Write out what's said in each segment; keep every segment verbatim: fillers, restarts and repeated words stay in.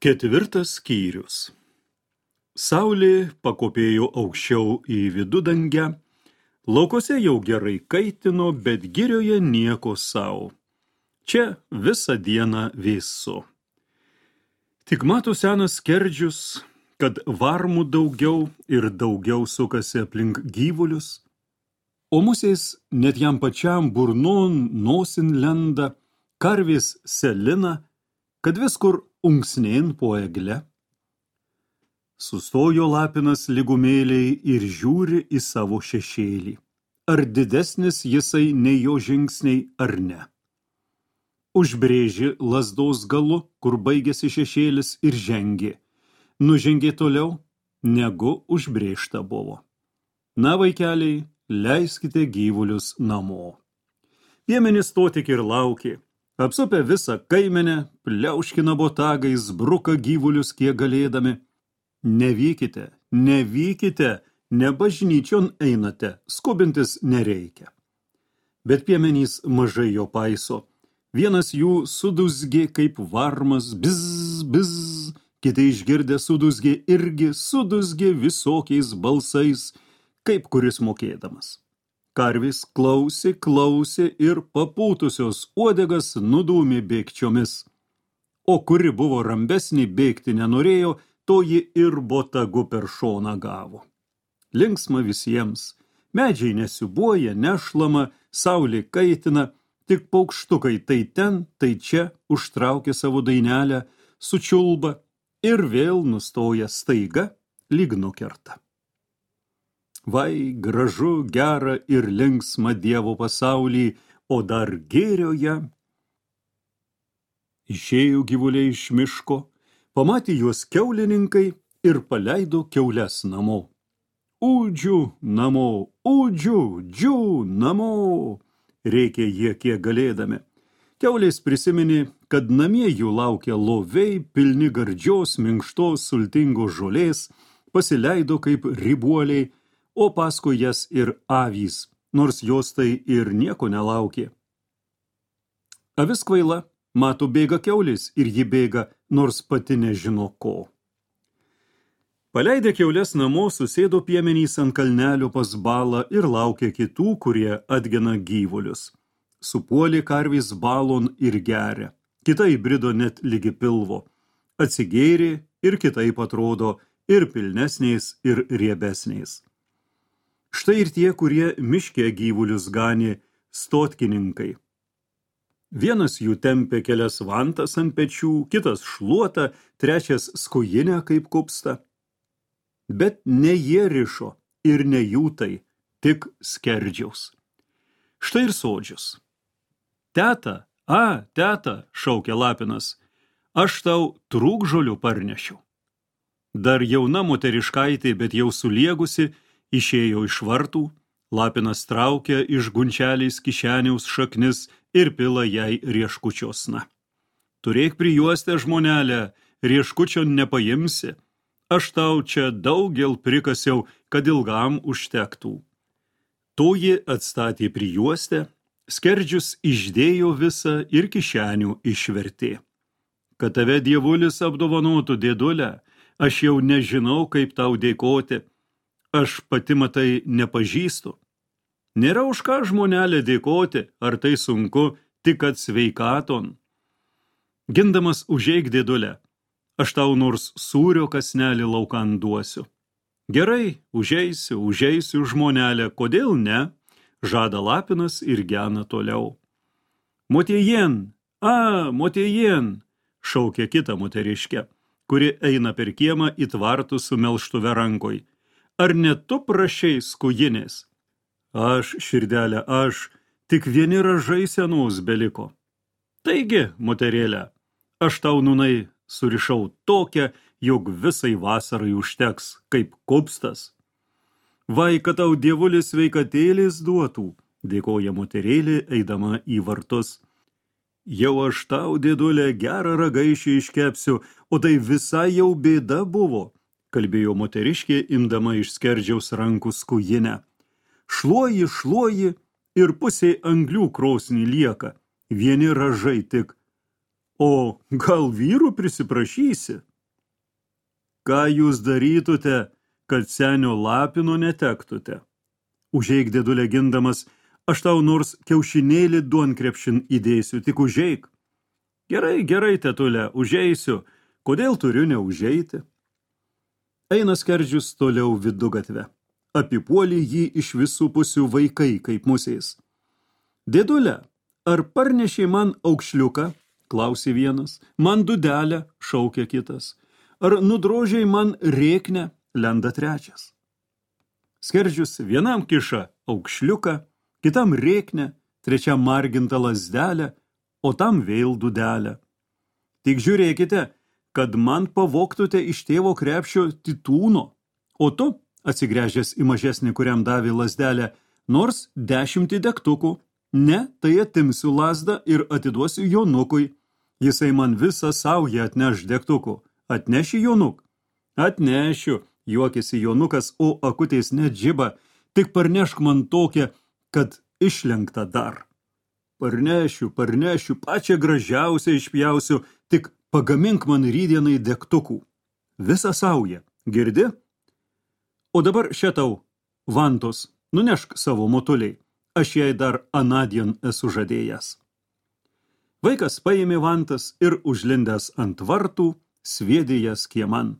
Ketvirtas skyrius. Saulė pakopėjo aukščiau į vidudangę, laukose jau gerai kaitino, bet girioje nieko sau. Čia visą dieną vėsu. Tik mato senas skerdžius, kad varmų daugiau ir daugiau sukasi aplink gyvulius, o musės net jam pačiam burnon nosin lenda, karvės selina, kad viskur unksnėn po egle. Sustojo lapinas lygumėliai ir žiūri į savo šešėlį. Ar didesnis jisai nei jo žingsniai ar ne? Užbrėži lazdos galu, kur baigėsi šešėlis ir žengė. Nužengė toliau, negu užbrėžta buvo. Na, vaikeliai, leiskite gyvulius namo. Piemenys to tik ir laukė. Apsupę visą kaimenę, pliauškina botagais, bruka gyvulius kiek galėdami. Nevykite, nevykite, ne bažnyčion einate, skubintis nereikia. Bet piemenys mažai jo paiso. Vienas jų sudusgė kaip varmas, bizz, bizz, kiti išgirdę sudusgė irgi sudusgė visokiais balsais, kaip kuris mokėdamas. Karvės klausė, klausė ir papūtusios uodegas nudūmė bėgčiomis. O kuri buvo rambesnė bėgti nenorėjo, toji ir botagu per šoną gavo. Linksma visiems. Medžiai nesiubuoja, nešlama, saulė kaitina, tik paukštukai tai ten, tai čia užtraukia savo dainelę, sučiulba ir vėl nustoja staiga, lyg nukerta. Vai, gražu, gera ir linksma Dievo pasaulį, o dar gėrioje. Išėjo gyvuliai iš miško, pamatė juos kiaulininkai ir paleido kiaules namo. Ūdžių namo, ūdžių, džių namo, rėkė jie kiek galėdami. Kiaulės prisiminė, kad namie jų laukia loviai, pilni gardžios, minkštos, sultingos žolės, pasileido kaip ribuoliai, o paskui jas ir avys, nors jos tai ir nieko nelaukė. Avis kvaila, mato bėga kiaulės ir ji bėga, nors pati nežino ko. Paleidę kiaules namo, susėdo piemenys ant kalnelio pas balą ir laukė kitų, kurie atgena gyvulius. Supuolė karvės balon ir geria, kita įbrido net lygi pilvo. Atsigėrė ir kitaip atrodo, ir pilnesniais, ir riebesniais. Štai ir tie, kurie miške gyvulius ganė, stotkininkai. Vienas jų tempė kelias vantas ant pečių, kitas šluotą, trečias skujinę kaip kupstą. Bet ne jie rišo ir ne jų tai, tik skerdžiaus. Štai ir sodžius. Teta, a, teta, šaukė lapinas, aš tau trūkžolių parnešiau. Dar jauna moteriškaitė, bet jau suliegusi, išėjo iš vartų, lapinas traukia iš gunčeliais kišeniaus šaknis ir pila jai rieškučiosna. Turėk prijuostę, žmonelę, rieškučio nepaimsi. Aš tau čia daugel prikasiau, kad ilgam užtektų. Toji atstatė prijuostę, skerdžius išdėjo visą ir kišenių išvertė. Kad tave dievulis apdovanotų, dėdulę, aš jau nežinau, kaip tau dėkoti. Aš pati matai nepažįstu. Nėra už ką, žmonelė, dėkoti, ar tai sunku, tik kad sveikaton. Gindamas užeik, dėdulę, aš tau nors sūrio kasnelį laukan duosiu. Gerai, užeisiu, užeisiu, žmonelė, kodėl ne? Žada lapinas ir gena toliau. Motiejen, a, motiejen, šaukia kita moteriškė, kuri eina per kiemą į tvartų su melžtuve rankoj. Ar ne tu prašei skujinės? Aš, širdelė, aš, tik vieni ražai senos beliko. Taigi, moterėlė, aš tau nūnai surišau tokią, jog visai vasarai užteks, kaip kupstas. Vai, kad tau dievulis sveikatėlės duotų, dėkoja moterėlė, eidama į vartus. Jau aš tau, dėdulė, gerą ragaišį iškepsiu, o tai visai jau bėda buvo, kalbėjo moteriškė, imdama iš skerdžiaus rankų skujinę. Šluoji, šluoji ir pusė anglių krosnį lieka, vieni ražai tik. O gal vyrų prisiprašysi? ką jūs darytute, kad senio lapino netektute? Užeik, dėdulė, gindamas, aš tau nors kiaušinėlį duonkrepšin įdėsiu, tik užeik. Gerai, gerai, tetulė, užeisiu, kodėl turiu neužeiti? Eina skerdžius toliau vidugatvę. Apipuolė jį iš visų pusių vaikai, kaip musės. Dėdulė, ar parnešė man aukšliuką? Klausė vienas. Man dudelę, šaukė kitas. Ar nudrožiai man rėknę? Lenda trečias. Skerdžius vienam kiša aukšliuką, kitam rėknę, trečiam margintą lazdelę, o tam vėl dudelę. Tik žiūrėkite, kad man pavoktute iš tėvo krepšio titūno, o tu, atsigręžęs į mažesnį, kuriam davė lazdelę, nors dešimtį degtukų. Ne, tai atimsiu lazdą ir atiduosiu jonukui. Jisai man visą saują atneš degtukų. Atneši, jonuk? Atnešiu, juokėsi jonukas, o akutės net džiba. Tik parnešk man tokią, kad išlenkta dar. Parnešiu, parnešiu, pačią gražiausią išpjausiu, tik pagamink man rydienai degtukų. Visą saują, girdi? O dabar šitau, vantos, nunešk savo motuliai. Aš jai dar anadien esu žadėjęs. Vaikas paėmė vantas ir užlindęs ant vartų, sviedė jas kieman.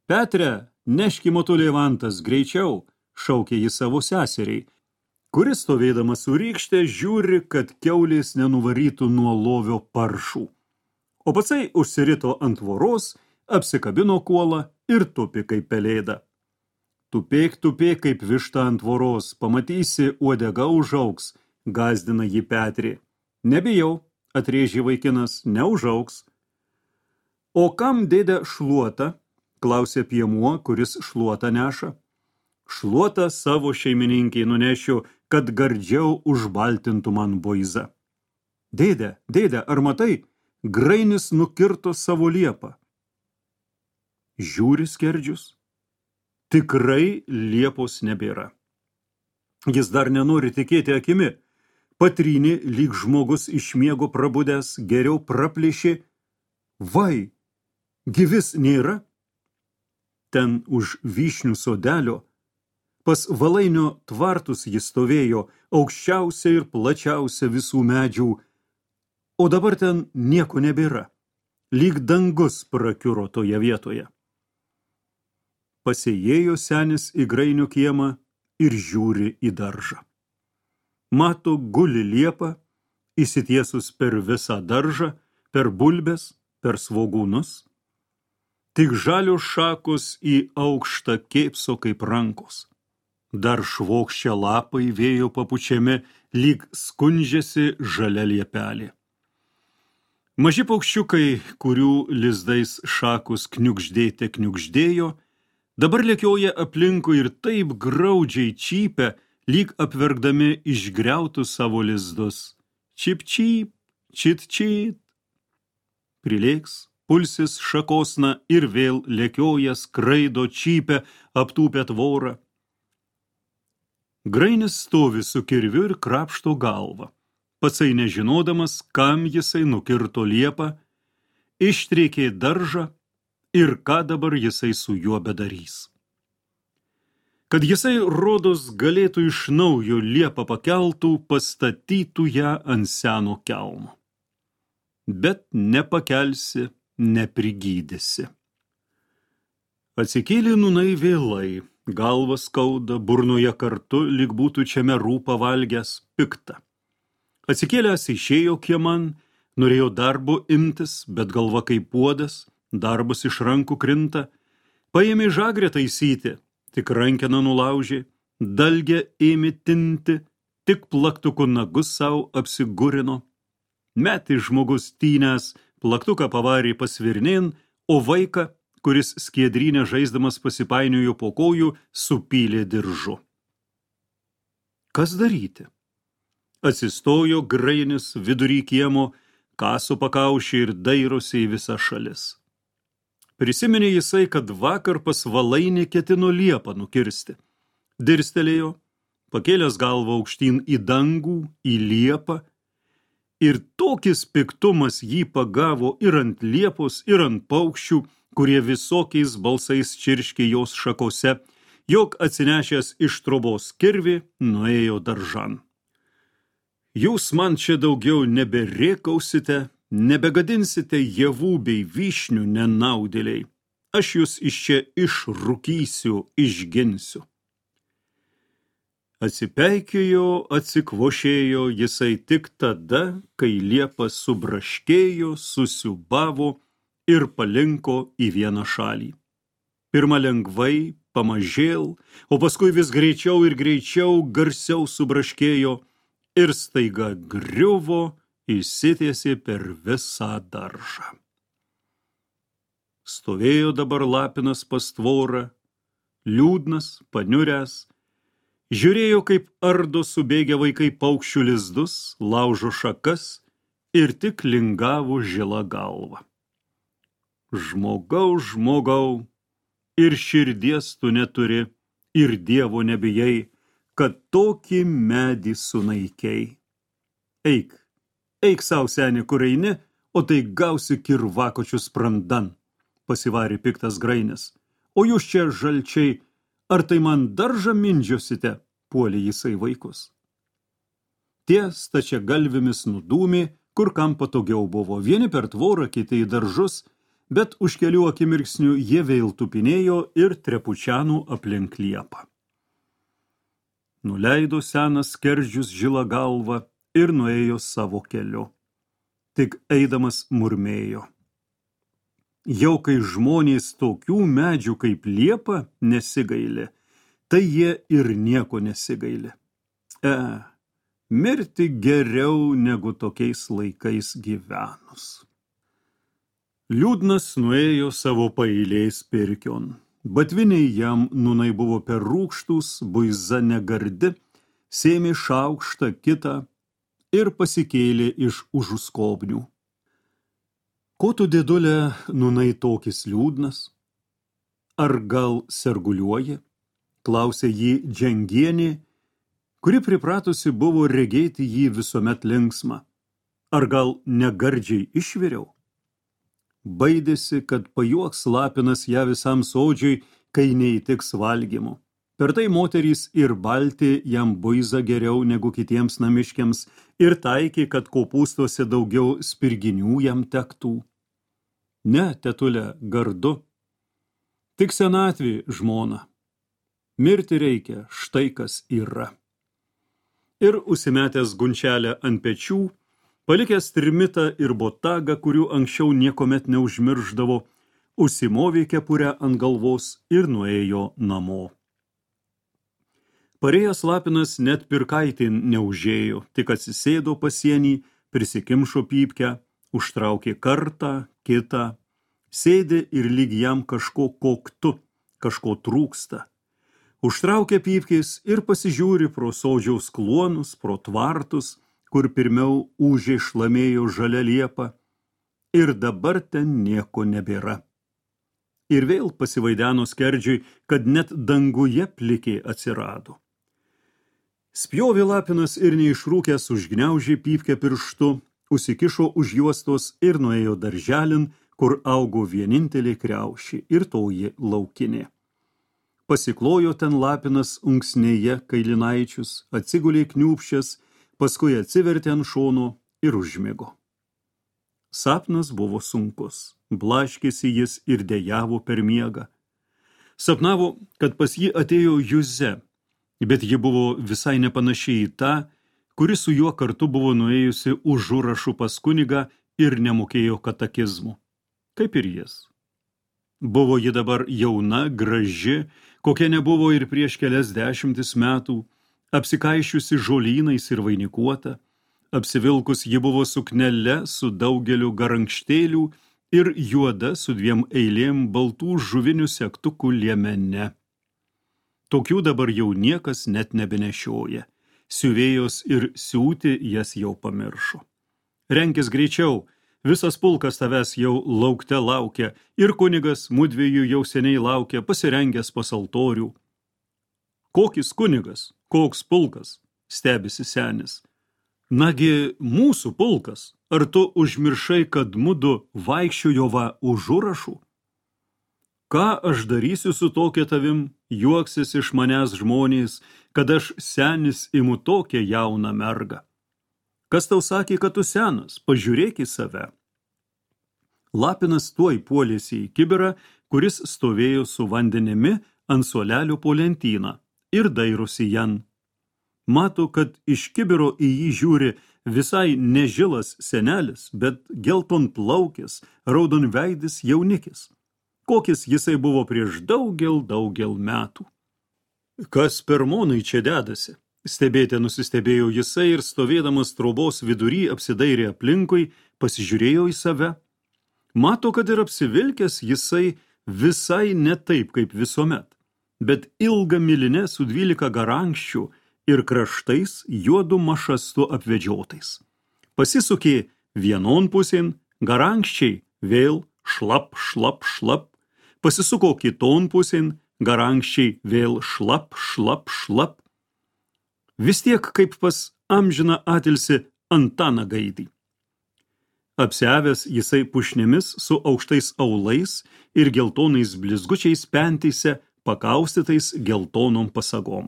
Petre, neški motulė vantas, greičiau, šaukė jis savo seseriai, kuris stovėdamas su rykšte žiūri, kad kiaulės nenuvarytų nuo lovio paršų. O patsai užsirito ant tvoros, apsikabino kuolą ir tupi kaip pelėda. Tupėk, tupėk kaip višta ant tvoros, pamatysi, uodega užaugs, gazdina jį Petrė. Nebijau, atrėžė vaikinas, neužaugs. O kam dėdė šluotą? Klausė piemuo, kuris šluotą neša. Šluotą savo šeimininkiai nunešiu, kad gardžiau užbaltintų man buizą. Dėdė, dėdė, ar matai, grainis nukirto savo liepą. Žiūri skerdžius. Tikrai liepos nebėra. Jis dar nenori tikėti akimi. Patrynė, lyg žmogus iš miego prabudęs, geriau praplėšė. Vai, gyvis nėra? Ten už vyšnių sodelio, pas valainio tvartus jis stovėjo, aukščiausia ir plačiausia visų medžių, o dabar ten nieko nebėra, lyg dangus prakiuro toje vietoje. Pasėjėjo senis į grainių kiemą ir žiūri į daržą. Mato, guli liepa, įsitiesus per visą daržą, per bulbes, per svogūnus. Tik žalios šakos į aukštą kėpso kaip rankos. Dar švokščia lapai vėjo papučiami, lyg skundžiasi žalia liepelė. Maži paukščiukai, kurių lizdais šakos kniukždėte kniukždėjo, dabar lėkioja aplinkui ir taip graudžiai čypia, lyg apverkdami išgriautus savo lizdus. Čip čyp, čit čit. Prilėks, pulsis šakosna ir vėl lėkioja, skraido, čypia, aptūpia tvorą. Grainis stovi su kirviu ir krapšto galvą. Patsai nežinodamas, kam jisai nukirto liepą, ištrėkė daržą ir ką dabar jisai su juo bedarys. Kad jisai rodos galėtų iš naujo liepą pakeltų, pastatytų ją ant seno kelmo. Bet nepakelsi, neprigydysi. Atsikėlė nūnai vėlai, galva skauda, burnoje kartu, lyg būtų čiame rūpą valgęs, pikta. Atsikėlęs išėjo kieman, norėjo darbo imtis, bet galva kaip puodas, darbus iš rankų krinta, paėmė žagrę taisyti, tik rankeną nulaužė, dalgę ėmė tinti, tik plaktuku nagus savo apsigurino. Metė žmogus tynęs, plaktuką pavarė pasvirnėn, o vaiką, kuris skiedrynę žaisdamas pasipainiojo po kojų, supylė diržu. Kas daryti? Atsistojo grainis vidury kiemo, kaso pakaušė ir dairosi į visą šalis. Prisiminė jisai, kad vakar pas valainį ketino liepą nukirsti. Dirstelėjo, pakėlęs galvą aukštyn į dangų, į liepą, Ir tokis piktumas jį pagavo ir ant liepos, ir ant paukščių, kurie visokiais balsais čirškė jos šakose, jog atsinešęs iš trobos kirvį nuėjo daržan. Jūs man čia daugiau neberėkausite, nebegadinsite javų bei vyšnių nenaudėliai. Aš jūs iš čia išrūkysiu, išginsiu. Atsipeikėjo, atsikvošėjo jisai tik tada, kai liepa subraškėjo, susiubavo ir palinko į vieną šalį. Pirma lengvai, pamažėl, o paskui vis greičiau ir greičiau garsiau subraškėjo ir staiga griuvo, įsitiesė per visą daržą. Stovėjo dabar lapinas pas tvorą, liūdnas, paniuręs, žiūrėjo, kaip ardo subėgę vaikai paukščių lizdus, laužo šakas ir tik lingavo žila galva. Žmogau, žmogau, ir širdies tu neturi, ir Dievo nebijai, kad tokį medį sunaikiai. Eik, eik sau, seni, kur eini, o tai gausi kirvakočius sprandan, pasivarė piktas Grainis. O jūs čia, žalčiai, ar tai man daržą mindžiosite, puolė jisai vaikus. Tie stačia galvimis nudūmė, kur kam patogiau buvo, vieni per tvorą, kiti į daržus, bet už kelių akimirksnių jie vėl tupinėjo ir trepučianų aplink liepą. Nuleido senas skerdžius žilą galvą ir nuėjo savo keliu. Tik eidamas murmėjo. Jau kai žmonės tokių medžių kaip liepa nesigaili, tai jie ir nieko nesigaili. E, mirti geriau negu tokiais laikais gyvenus. Liūdnas nuėjo savo paeiliais pirkion. Batviniai jam nūnai buvo per rūkštus, buiza negardi, sėmė šaukštą kitą ir pasikėlė iš užuskobnių. Ko tu, dėdulė, nūnai tokis liūdnas? Ar gal serguliuoji? Klausė jį Džengienė, kuri pripratusi buvo regėti jį visuomet linksmą. Ar gal negardžiai išviriau? Baidėsi, kad pajuoks lapinas ją visam sodžiui, kai neįtiks valgymu. Per tai moterys ir balti jam buiza geriau negu kitiems namiškiams ir taikė, kad kopūstuose daugiau spirginių jam tektų. Ne, tetulė, gardu. Tik senatvė, žmona. Mirti reikia, štai kas yra. Ir užsimetęs gunčelę ant pečių, palikęs trimitą ir botagą, kurių anksčiau niekomet neužmirždavo, užsimovė kepurę ant galvos ir nuėjo namo. Parėjęs lapinas net pirkaitin neužėjo, tik atsisėdo pasienį, prisikimšo pypkę, užtraukė kartą, kitą, sėdė ir lyg jam kažko koktu, kažko trūksta. Užtraukė pypkės ir pasižiūri pro sodžiaus kluonus, pro tvartus, kur pirmiau ūžė šlamėjo žalia liepa, ir dabar ten nieko nebėra. Ir vėl pasivaideno skerdžiui, kad net danguje plikė atsirado. Spjovė lapinas ir neišrūkęs užgniaužė pypkę pirštu, užsikišo už juostos ir nuėjo darželin, kur augo vienintelė kriaušė ir toji laukinė. Pasiklojo ten lapinas unksnėje kailinaičius, atsigulė kniūpščias, paskui atsivertė ant šono ir užmigo. Sapnas buvo sunkus, blaškėsi jis ir dejavo per miegą. Sapnavo, kad pas jį atėjo Juze, bet ji buvo visai nepanašiai į tą, kuri su juo kartu buvo nuėjusi užurašų pas kunigą ir nemokėjo katekizmų, kaip ir jis. Buvo ji dabar jauna, graži, kokia nebuvo ir prieš kelias dešimtis metų, apsikaišiusi žolynais ir vainikuota, apsivilkus ji buvo suknele su daugeliu garankštėlių ir juoda su dviem eilėm baltų žuvinių segtukų liemene. Tokių dabar jau niekas net nebenešioja, siuvėjos ir siūti jas jau pamiršo. Renkis greičiau, visas pulkas tavęs jau laukte laukia ir kunigas mudviejų jau seniai laukia, pasirengęs pas altorių. Kokis kunigas, koks pulkas, stebisi senis. Nagi mūsų pulkas, ar tu užmiršai, kad mudu vaikščiojo va už užrašų? Ką aš darysiu su tokia tavim, juoksis iš manęs žmonės, kad aš senis imu tokią jauną mergą? Kas tau sakė, kad tu senas? Pažiūrėk į save. Lapinas tuoj puolėsi į kibirą, kuris stovėjo su vandenimi ant suolelio po lentyną ir dairosi jan. Mato, kad iš kibiro į jį žiūri visai nežilas senelis, bet gelton plaukis, raudonveidis jaunikis. Kokis jisai buvo prieš daugel, daugel metų. Kas per monai čia dedasi? Stebėte nusistebėjo jisai ir stovėdamas trobos vidury apsidairė aplinkui, pasižiūrėjo į save. Mato, kad ir apsivilkęs jisai visai ne taip kaip visuomet, bet ilga milinė su dvylika garankščių ir kraštais juodu mašastu apvedžiotais. Pasisukė vienon pusėn, garankščiai vėl šlap, šlap, šlap, pasisuko kiton pusėn, garankščiai vėl šlap, šlap, šlap. Vis tiek kaip pas amžiną atilsi Antaną Gaidį. Apsiavęs jisai pušnėmis su aukštais aulais ir geltonais blizgučiais pentyse, pakaustytais geltonom pasagom.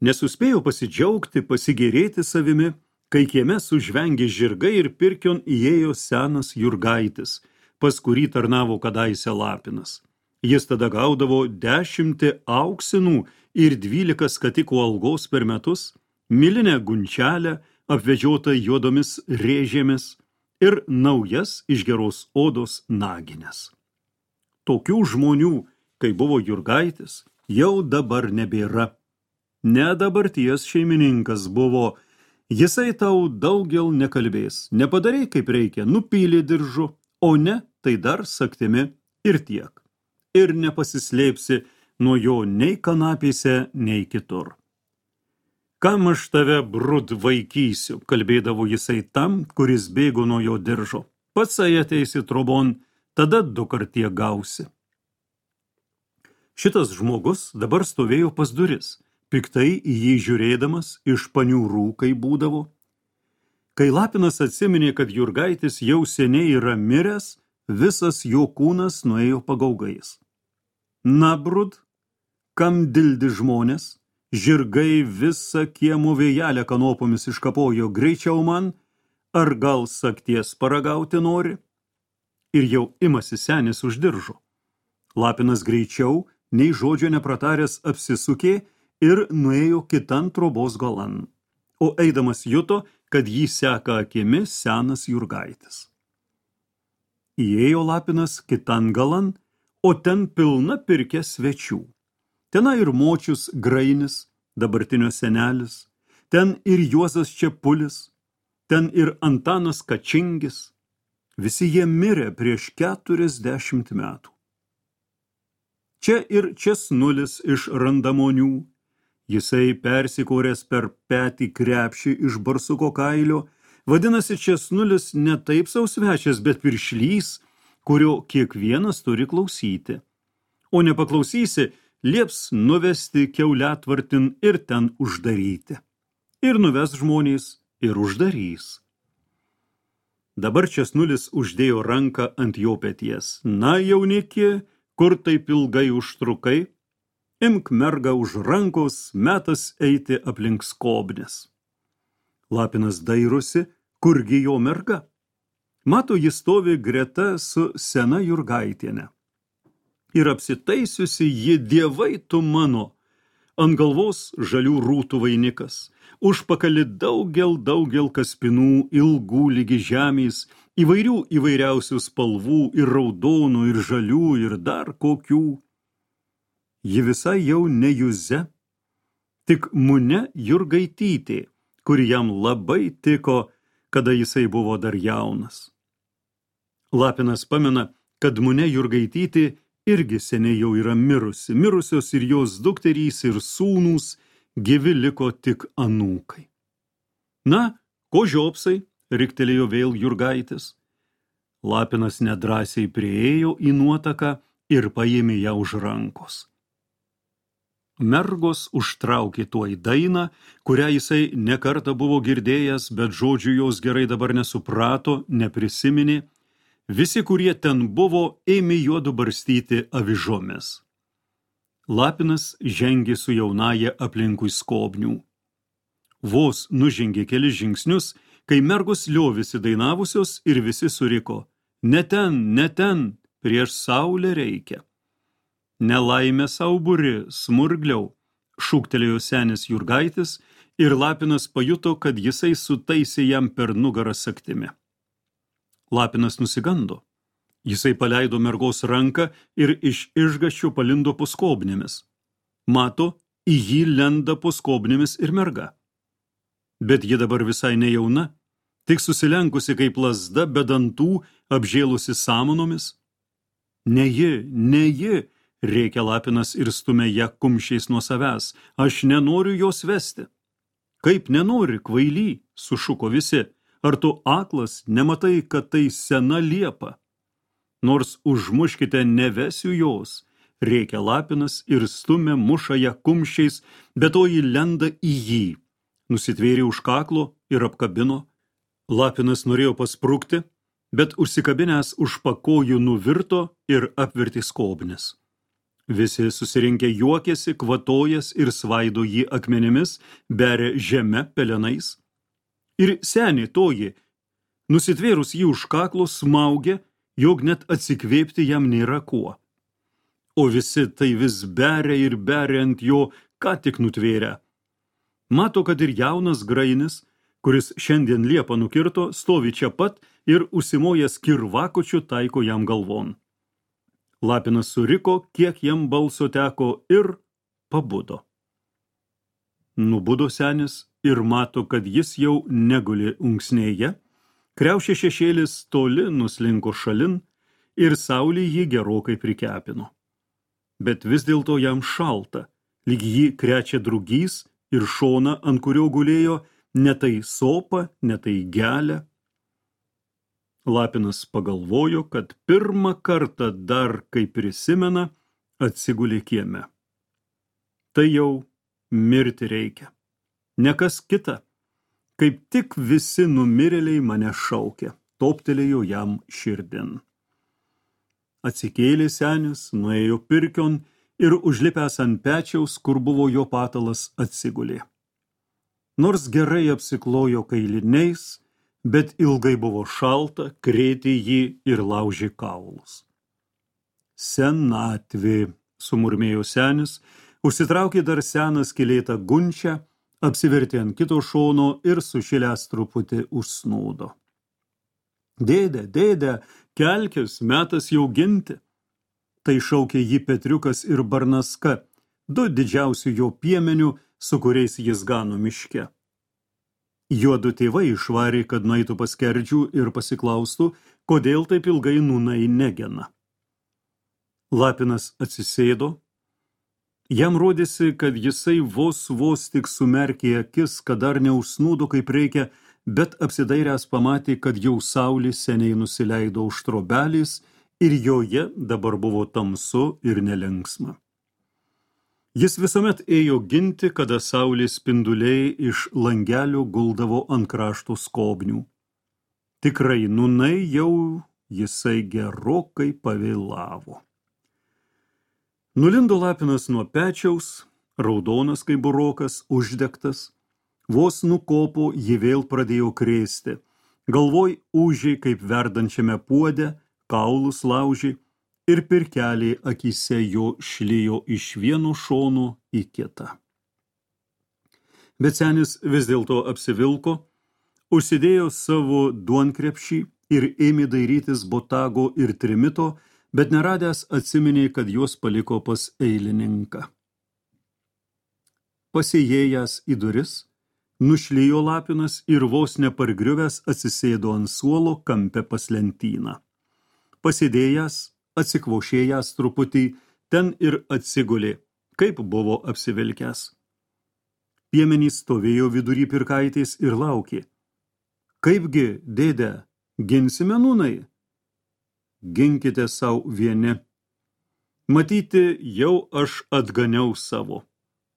Nesuspėjo pasidžiaugti, pasigėrėti savimi, kai kieme sužvengė žirgai ir pirkion įėjo senas Jurgaitis, pas kurį tarnavo kadaise Lapinas. Jis tada gaudavo dešimtį auksinų ir dvylika skatikų algos per metus, milinę gunčelę, apvedžiotą juodomis rėžėmis ir naujas iš geros odos nagines. Tokių žmonių, kai buvo Jurgaitis, jau dabar nebėra. Ne dabarties šeimininkas buvo, jisai tau daugel nekalbės, nepadarei kaip reikia, nupylė diržu, o ne, tai dar saktimi ir tiek. Ir nepasislėpsi nuo jo nei kanapėse, nei kitur. Kam aš tave brud vaikysiu, kalbėdavo jisai tam, kuris bėgo nuo jo diržo. Patsai ateisi trobon, tada du kartie gausi. Šitas žmogus dabar stovėjo pas duris, piktai į jį žiūrėdamas iš paniūrų, kai būdavo. Kai Lapinas atsiminė, kad Jurgaitis jau seniai yra miręs, visas jo kūnas nuėjo pagaugais. Na, brud, kam dildi žmonės, žirgai visą kiemo vėjelę kanopomis iškapojo, greičiau man, ar gal sakties paragauti nori? Ir jau imasi senis už diržo. Lapinas greičiau, nei žodžio neprataręs apsisukė ir nuėjo kitan trobos galan, o eidamas juto, kad jį seka akimis senas Jurgaitis. Įėjo Lapinas kitan galan, o ten pilna pirkė svečių. Tenai ir močius Grainis, dabartinio senelis, ten ir Juozas Čepulis, ten ir Antanas Kačingis. Visi jie mirė prieš keturiasdešimt metų. Čia ir Česnulis iš Randamonių, jisai persikoręs per petį krepšį iš barsuko kailio, vadinasi Česnulis ne taip sau svečias, bet piršlys, kurio kiekvienas turi klausyti. O nepaklausysi, lieps nuvesti kiauliatvartin ir ten uždaryti. Ir nuves žmonės, ir uždarys. Dabar Česnulis uždėjo ranką ant jo peties. Na, jauniki, kur taip ilgai užtrukai? Imk mergą už rankos, metas eiti aplink skobnis. Lapinas dairosi, kurgi jo merga? Mato, jis stovi greta su sena Jurgaitiene. Ir apsitaisiusi ji dievai tu mano, ant galvos žalių rūtų vainikas, užpakali daugel daugel kaspinų, ilgų lygi žemės, įvairių įvairiausių spalvų, ir raudonų, ir žalių, ir dar kokių. Ji visai jau ne Juze, tik Mune Jurgaitytė, kuri jam labai tiko, kada jisai buvo dar jaunas. Lapinas pamena, kad Mune Jurgaitytė irgi seniai jau yra mirusi, mirusios ir jos dukterys ir sūnūs, gyvi liko tik anūkai. Na, ko žiopsai, riktelėjo vėl Jurgaitis. Lapinas nedrąsiai prieėjo į nuotaką ir paėmė ją už rankos. Mergos užtraukė tuoj dainą, kurią jisai nekartą buvo girdėjęs, bet žodžių jos gerai dabar nesuprato, neprisiminė. Visi, kurie ten buvo, ėmė juodu barstyti avižomis. Lapinas žengė su jaunaja aplinkui skobnių. Vos nužengė kelis žingsnius, kai mergos liovėsi dainavusios ir visi suriko: ne ten, ne ten, prieš saulę reikia. Nelaimė sau buri, smurgliau, šūktelėjo senis Jurgaitis ir Lapinas pajuto, kad jisai sutaisė jam per nugarą saktimi. Lapinas nusigando. Jisai paleido mergos ranką ir iš išgąsčio palindo po skobnėmis. Mato, į jį lenda po skobnėmis ir merga. Bet ji dabar visai nejauna, tik susilenkusi kaip lazda, be dantų, apžėlusi samanomis. Ne ji, ne ji, rėkė Lapinas ir stumė ją kumščiais nuo savęs. Aš nenoriu jos vesti. Kaip nenori, kvaily, sušuko visi. Ar tu aklas, nematai, kad tai sena liepa? Nors užmuškite, nevesiu jos, rėkė Lapinas ir stumė muša ją kumščiais, bet to ji lenda į jį. Nusitvėrė už kaklo ir apkabino. Lapinas norėjo pasprukti, bet užsikabinęs už pakojų nuvirto ir apvertė skobnis. Visi susirinkę juokėsi, kvatojas ir svaido jį akmenimis, beria žeme pelenais. Ir senė toji, nusitvėrus jį už kaklo, smaugė, jog net atsikvėpti jam nėra kuo. O visi tai vis beria ir beria ant jo, ką tik nutvėrę. Mato, kad ir jaunas grainis, kuris šiandien liepą nukirto, stovi čia pat ir užsimojęs kirvakočiu taiko jam galvon. Lapinas suriko, kiek jam balso teko, ir pabudo. Nubudo senis ir mato, kad jis jau neguli unksnėje, kriaušė šešėlis toli nuslinko šalin ir saulė jį gerokai prikepino. Bet vis dėlto jam šalta, lyg jį krečia drugys ir šona, ant kurio gulėjo, ne tai sopa, ne tai gelė. Lapinas pagalvojo, kad pirmą kartą dar, kai prisimena, atsigulė kieme. Tai jau mirti reikia. Ne kas kita. Kaip tik visi numirėliai mane šaukia, toptelėjo jam širdin. Atsikėlė senis, nuėjo pirkion ir užlipęs ant pečiaus, kur buvo jo patalas, atsigulė. Nors gerai apsiklojo kailiniais, bet ilgai buvo šalta, krėtė jį ir laužė kaulus. Senatvė, sumurmėjo senis, užsitraukė dar seną skylėtą gunčią, apsivertė ant kito šono ir sušilęs truputį užsnūdo. Dėde, dėde, kelkis, metas jau ginti. Tai šaukė jį Petriukas ir Barnaska, du didžiausių jo piemenių, su kuriais jis gano miške. Juodu tėvai išvarė, kad nueitų pas Skerdžių ir pasiklaustų, kodėl taip ilgai nūnai negena. Lapinas atsisėdo. Jam rodėsi, kad jisai vos vos tik sumerkė akis, kad dar neužsnūdo kaip reikia, bet apsidairęs pamatė, kad jau saulė seniai nusileido už trobelės ir joje dabar buvo tamsu ir nelinksma. Jis visuomet ėjo ginti, kada saulės spinduliai iš langelio guldavo ant krašto skobnių. Tikrai nūnai jau jisai gerokai pavėlavo. Nulindo Lapinas nuo pečiaus, raudonas kaip burokas, uždegtas. Vos nukopo, ji vėl pradėjo krėsti. Galvoj ūžė kaip verdančiame puode, kaulus laužė ir pirkelė akyse jo šlijo iš vieno šono į kitą. Bet senis vis dėlto apsivilko, užsidėjo savo duonkrepšį ir ėmė dairytis botago ir trimito, bet neradęs atsiminė, kad juos paliko pas eilininką. Pasėjėjęs į duris, nušlijo Lapinas ir vos nepargriuvęs atsisėdo ant suolo kampe pas lentyną. Pasėdėjęs, atsikvošėjęs truputį, ten ir atsigulė, kaip buvo apsivilkęs. Piemenys stovėjo vidury pirkaitės ir laukė. Kaipgi, dėde, ginsime nūnai? Ginkite sau vieni. Matyti, jau aš atganiau savo.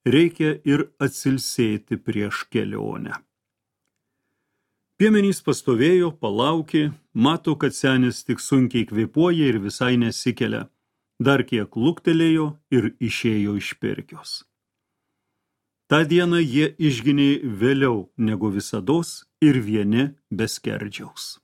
reikia ir atsilsėti prieš kelionę. Piemenys pastovėjo, palaukė, mato, kad senis tik sunkiai kvėpuoja ir visai nesikelia. Dar kiek luktelėjo ir išėjo iš pirkios. Ta diena jie išginė vėliau negu visados ir vieni be skerdžiaus.